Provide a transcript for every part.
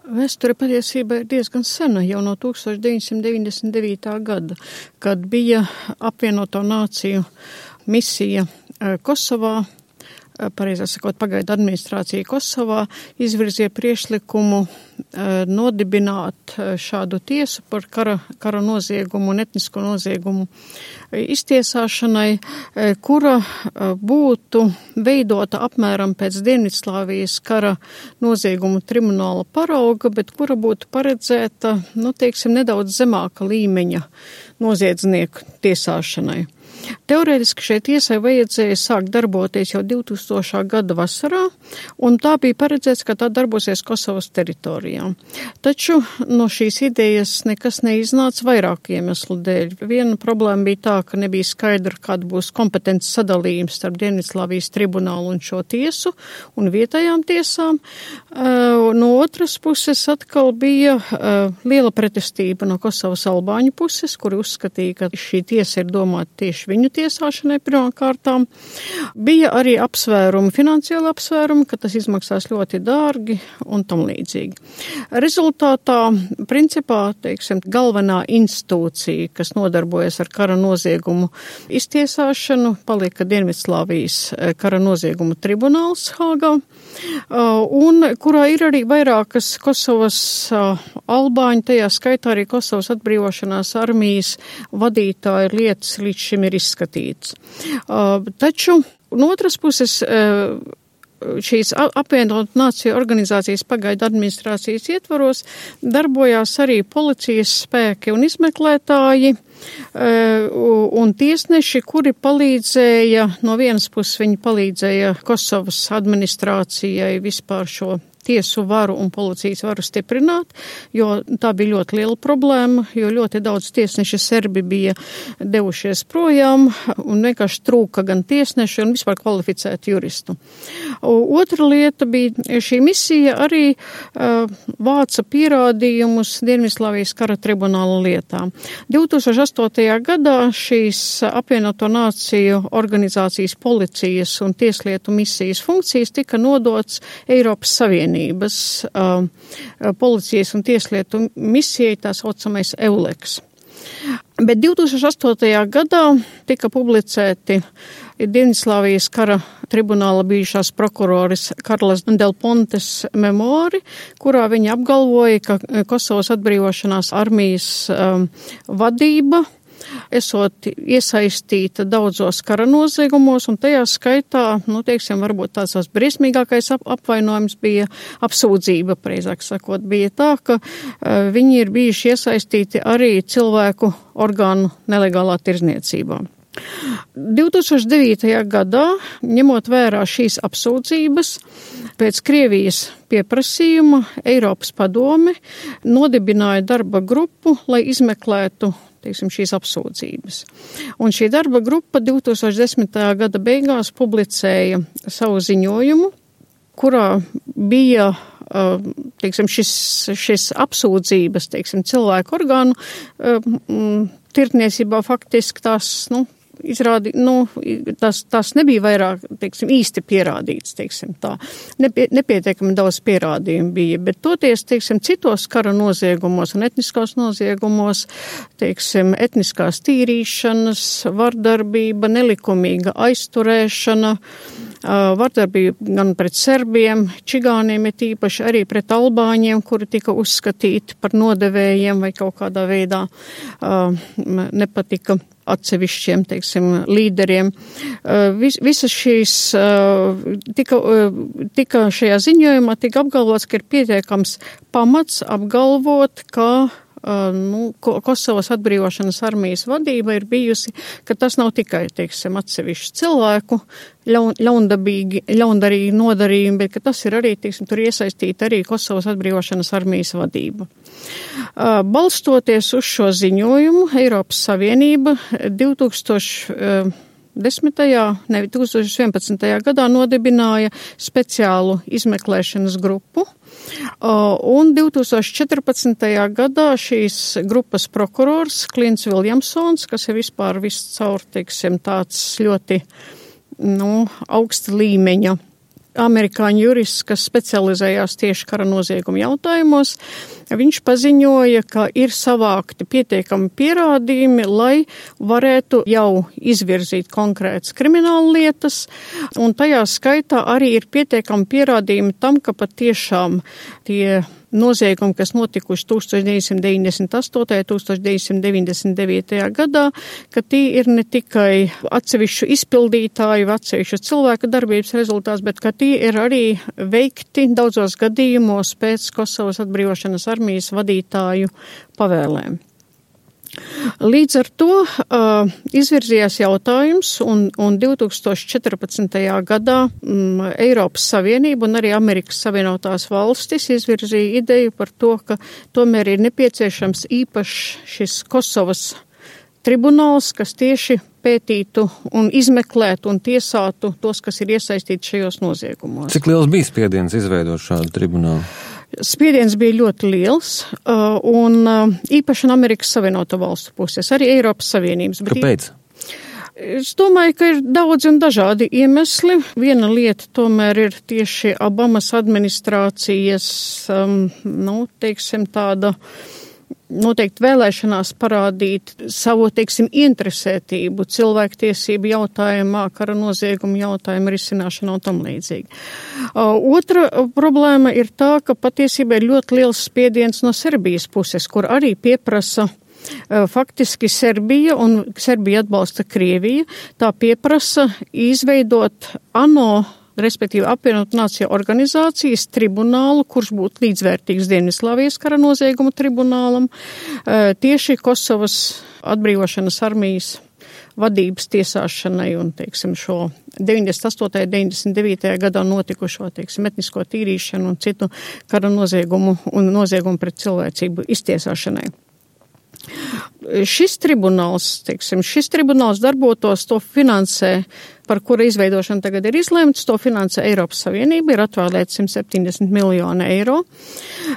Vēsture patiesībā ir diezgan sena, jau no 1999. gada, kad bija apvienoto nāciju misija Kosovā, pareizāk sakot, pagaidu administrācija Kosovā izvirzīja priekšlikumu nodibināt šādu tiesu par kara noziegumu un etnisko noziegumu iztiesāšanai, kura būtu veidota apmēram pēc Dienvidslāvijas kara noziegumu tribunāla parauga, bet kura būtu paredzēta, nedaudz zemāka līmeņa noziedznieku tiesāšanai. Teorētiski šai tiesai vajadzēja sākt darboties jau 2000. gada vasarā, un tā bija paredzēts, ka tā darbosies Kosovas teritorijā. Taču no šīs idejas nekas neiznāca vairāku iemeslu dēļ. Viena problēma bija tā, ka nebija skaidra, kāda būs kompetences sadalījums starp Dienvidslāvijas tribunālu un šo tiesu un vietējām tiesām. No otras puses atkal bija liela pretestība no Kosovas albāņu puses, kuri uzskatīja, ka šī tiesa ir domāta tieši viņu tiesāšanai pirmām kārtām. Bija arī finansiāli apsvērumi, ka tas izmaksās ļoti dārgi un tam līdzīgi. Rezultātā, principā, galvenā institūcija, kas nodarbojas ar kara noziegumu iztiesāšanu, palika Dienvidslāvijas kara noziegumu tribunāls Hāgā, un kurā ir arī vairākas Kosovas albāņu, tajā skaitā arī Kosovas atbrīvošanās armijas vadītāja lietas līdz šim ir izskatīts. Taču, no otras puses, šīs apvienotu nāciju organizācijas pagaidu administrācijas ietvaros darbojās arī policijas spēki un izmeklētāji un tiesneši, kuri palīdzēja, no vienas puses viņi palīdzēja Kosovas administrācijai vispār šo tiesu varu un policijas varu stiprināt, jo tā bija ļoti liela problēma, jo ļoti daudz tiesneši serbi bija devušies projām un vienkārši trūka gan tiesneši un vispār kvalificētu juristu. Otra lieta bija šī misija arī vāca pierādījumus Dienvidslāvijas kara tribunāla lietām. 2008. gadā šīs apvienoto nāciju organizācijas policijas un tieslietu misijas funkcijas tika nodots Eiropas Savienībai. Policijas un tieslietu misijai, tā saucamais EULEX. Bet 2008. gadā tika publicēti Dienvidslāvijas kara tribunāla bijušās prokuroris Karlas Del Pontes memoāri, kurā viņa apgalvoja, ka Kosovas atbrīvošanās armijas vadība esot iesaistīta daudzos kara noziegumos, un tajā skaitā, varbūt tāds briesmīgākais apvainojums bija apsūdzība, preizāk sakot, bija tā, ka viņi ir bijuši iesaistīti arī cilvēku orgānu nelegālā tirzniecībā. 2009. gadā, ņemot vērā šīs apsūdzības, pēc Krievijas pieprasījuma Eiropas padome nodibināja darba grupu, lai izmeklētu šīs apsūdzības. Un šī darba grupa 2010. gada beigās publicēja savu ziņojumu, kurā bija šis apsūdzības, cilvēku orgānu tirdzniecībā faktiski tās, tas nebija vairāk, īsti pierādīts, tā. Nepietiekami daudz pierādījumu bija, bet toties, citos kara noziegumos un etniskos noziegumos, etniskās tīrīšanas, vardarbība, nelikumīga aizturēšana, vardarbība gan pret serbiem, čigāniem ir tīpaši arī pret albāņiem, kuri tika uzskatīti par nodevējiem vai kaut kādā veidā nepatika atsevišķiem, līderiem. Visas šīs tika šajā ziņojumā tika apgalvots, ka ir pietiekams pamats apgalvot, ka Kosovas atbrīvošanas armijas vadība ir bijusi, ka tas nav tikai, atsevišķu cilvēku ļaundarīgi nodarījumi, bet ka tas ir arī, tur iesaistīta arī Kosovas atbrīvošanas armijas vadība. Balstoties uz šo ziņojumu, Eiropas Savienība 2011. gadā nodibināja speciālu izmeklēšanas grupu, un 2014. gadā šīs grupas prokurors Klints Viljamsons, kas ir vispār viscaur, tāds ļoti augsta līmeņa amerikāņu jurists, kas specializējās tieši kara noziegumu jautājumos. Viņš paziņoja, ka ir savākti pietiekami pierādījumi, lai varētu jau izvirzīt konkrētas krimināla lietas, un tajā skaitā arī ir pietiekami pierādījumi tam, ka patiešām tie noziegumi, kas notikuši 1998. 1999. gadā, ka tie ir ne tikai atsevišķu izpildītāju, atsevišķu cilvēku darbības rezultāts, bet ka tie ir arī veikti daudzos gadījumos pēc Kosovas atbrīvošanas armijas vadītāju pavēlēm. Līdz ar to izvirzījās jautājums, un 2014. gadā Eiropas Savienība un arī Amerikas Savienotās valstis izvirzīja ideju par to, ka tomēr ir nepieciešams īpašs šis Kosovas tribunāls, kas tieši pētītu un izmeklētu un tiesātu tos, kas ir iesaistīti šajos noziegumos. Cik liels bija spiediens izveidot šādu tribunālu? Spiediens bija ļoti liels, un īpaši no Amerikas Savienoto valstu puses, arī Eiropas Savienības. Kāpēc? Es domāju, ka ir daudz un dažādi iemesli. Viena lieta tomēr ir tieši Obamas administrācijas, tāda noteikti vēlēšanās parādīt savu, interesētību cilvēktiesību jautājumā, kara noziegumu jautājumu risināšanā un tam līdzīgi. Otra problēma ir tā, ka patiesībā ir ļoti liels spiediens no Serbijas puses, kur arī pieprasa faktiski Serbija, un Serbija atbalsta Krieviju, tā pieprasa izveidot ANO, respektīvi apvienotu nāciju organizācijas tribunālu, kurš būtu līdzvērtīgs Dienvidslāvijas kara noziegumu tribunālam, tieši Kosovas atbrīvošanas armijas vadības tiesāšanai un, šo 98. 99. gadā notikušo, etnisko tīrīšanu un citu kara noziegumu un noziegumu pret cilvēcību iztiesāšanai. Šis tribunāls darbotos, to finansē, par kura izveidošanu tagad ir izlemts, to finansē Eiropas Savienība, ir atvēlēts 170 miljoni eiro.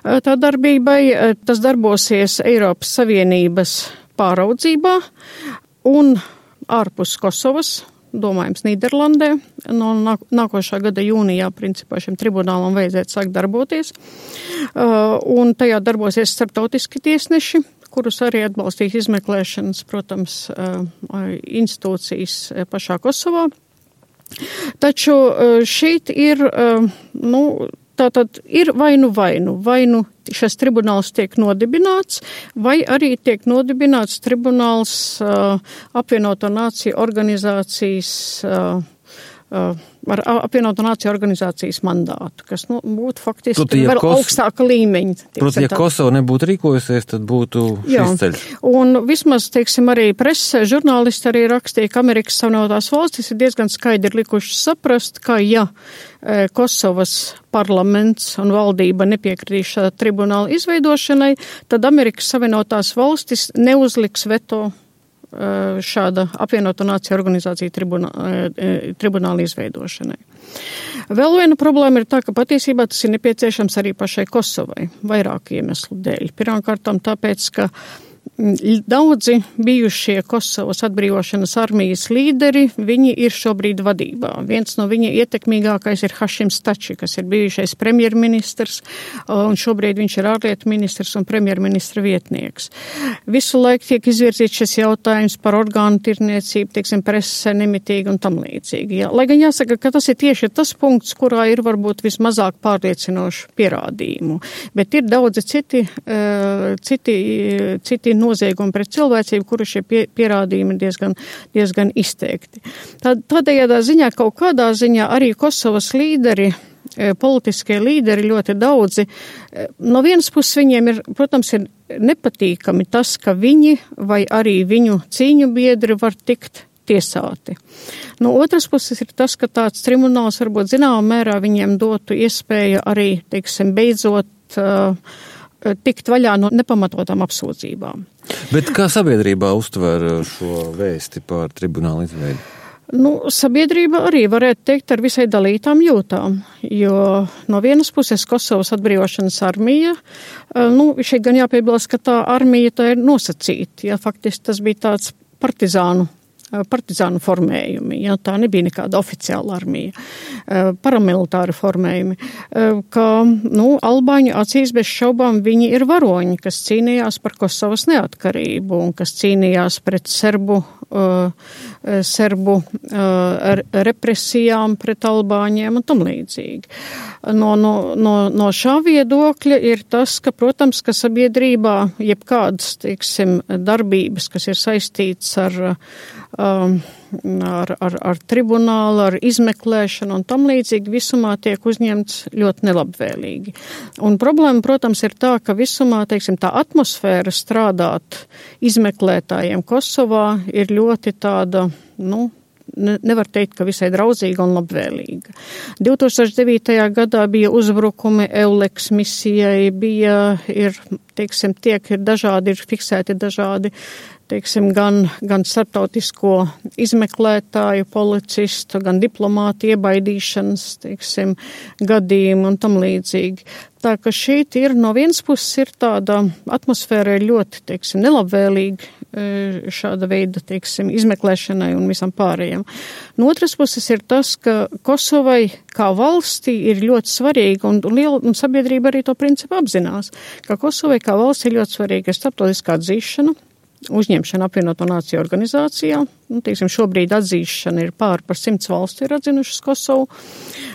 Tā darbībai tas darbosies Eiropas Savienības pāraudzībā un ārpus Kosovas, domājams Nīderlandē. No nākošā gada jūnijā principā šim tribunālam vajadzētu sākt darboties, un tajā darbosies starptautiski tiesneši, kurus arī atbalstīs izmeklēšanas, protams, institūcijas pašā Kosovā. Taču šeit ir, tātad ir vai nu šis tribunāls tiek nodibināts, vai arī tiek nodibināts tribunāls apvienoto nāciju organizācijas ar apvienoto nāciju organizācijas mandātu, kas būtu faktiski vēl augstāka līmeņa. Proti, ja Kosova nebūtu rīkojusies, tad būtu šis ceļš. Un vismaz, arī presē, žurnālisti arī rakstīja, ka Amerikas Savienotās valstis ir diezgan skaidri likušas saprast, ka ja Kosovas parlaments un valdība nepiekritīs šāda tribunāla izveidošanai, tad Amerikas Savienotās valstis neuzliks veto šāda apvienoto nāciju organizācija tribunāla izveidošanai. Vēl viena problēma ir tā, ka patiesībā tas ir nepieciešams arī pašai Kosovai, vairāku iemeslu dēļ. Pirmkārtām tāpēc, ka daudzi bijušie Kosovas atbrīvošanas armijas līderi, viņi ir šobrīd vadībā. Viens no viņa ietekmīgākais ir Hašims Tači, kas ir bijušais premjerministrs, un šobrīd viņš ir ārlietu ministrs un premjerministra vietnieks. Visu laiku tiek izvirzīts šis jautājums par orgānu tirniecību, presē nemitīgi un tam līdzīgi. Jā. Lai gan jāsaka, ka tas ir tieši tas punkts, kurā ir varbūt vismazāk pārliecinošu pierādījumu, bet ir daudzi citi noziegumi pret cilvēcību, kuru šie pierādījumi ir diezgan izteikti. Tādējādā ziņā, kaut kādā ziņā arī Kosovas līderi, politiskie līderi ļoti daudzi, no vienas puses viņiem ir, protams, ir nepatīkami tas, ka viņi vai arī viņu cīņu biedri var tikt tiesāti. No otras puses ir tas, ka tāds tribunāls varbūt zināmā mērā viņiem dotu iespēju arī, beidzot tikt vaļā no nepamatotām apsūdzībām. Bet kā sabiedrībā uztver šo vēsti par tribunālu izveidi? Sabiedrība arī varētu teikt ar visai dalītām jūtām, jo no vienas puses Kosovas atbrīvošanas armija, šeit gan jāpiebilst, ka tā armija tā ir nosacīta, ja faktiski tas bija tāds partizānu partizānu formējumi, ja, tā nebija nekāda oficiāla armija, paramilitāri formējumi, ka, albāņu acīs bez šaubām viņi ir varoņi, kas cīnījās par Kosovas neatkarību un kas cīnījās pret serbu represijām pret albāņiem un tam līdzīgi. No šā viedokļa ir tas, ka, protams, ka sabiedrībā jebkādas, darbības, kas ir saistīts ar tribunālu, ar izmeklēšanu un tam līdzīgi visumā tiek uzņemts ļoti nelabvēlīgi. Un problēma, protams, ir tā, ka visumā, tā atmosfēra strādāt izmeklētājiem Kosovā ir ļoti tāda, nevar teikt, ka visai draudzīga un labvēlīga. 2009. gadā bija uzbrukumi EULEX misijai, ir fiksēti dažādi, gan starptautisko izmeklētāju, policistu, gan diplomātu iebaidīšanas, gadījumi un tam līdzīgi. Tā ka šeit ir no vienas puses ir tāda atmosfēra ļoti, nelabvēlīga šāda veida, izmeklēšanai un visam pārējiem. No otras puses ir tas, ka Kosovai kā valstī ir ļoti svarīga un sabiedrība arī to principu apzinās, ka Kosovai kā valstī ir ļoti svarīga starptautiskā atzīšana, uzņemšana apvienoto nāciju organizācijā. Šobrīd atzīšana ir par 100 valstu ir atzinušas Kosovu,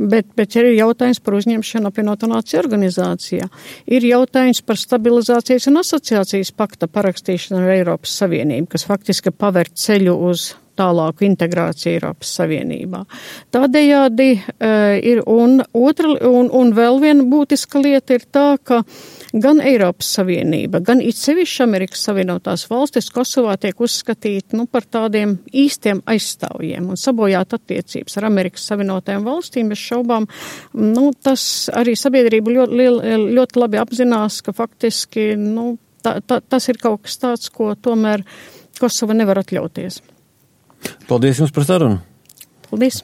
bet ir jautājums par uzņemšanu apvienoto nāciju organizācijā. Ir jautājums par stabilizācijas un asociācijas pakta parakstīšanu ar Eiropas Savienību, kas faktiski paver ceļu uz tālāku integrāciju Eiropas Savienībā. Tādējādi ir un vēl viena būtiska lieta ir tā, ka gan Eiropas Savienība, gan it sevišķi Amerikas Savienotās valstis Kosovā tiek uzskatīti par tādiem īstiem aizstāvjiem un sabojāt attiecības ar Amerikas Savienotajām valstīm. Bez šaubām, tas arī sabiedrība ļoti labi apzinās, ka faktiski tas ir kaut kas tāds, ko tomēr Kosova nevar atļauties. Paldies jums par sarunu. Paldies.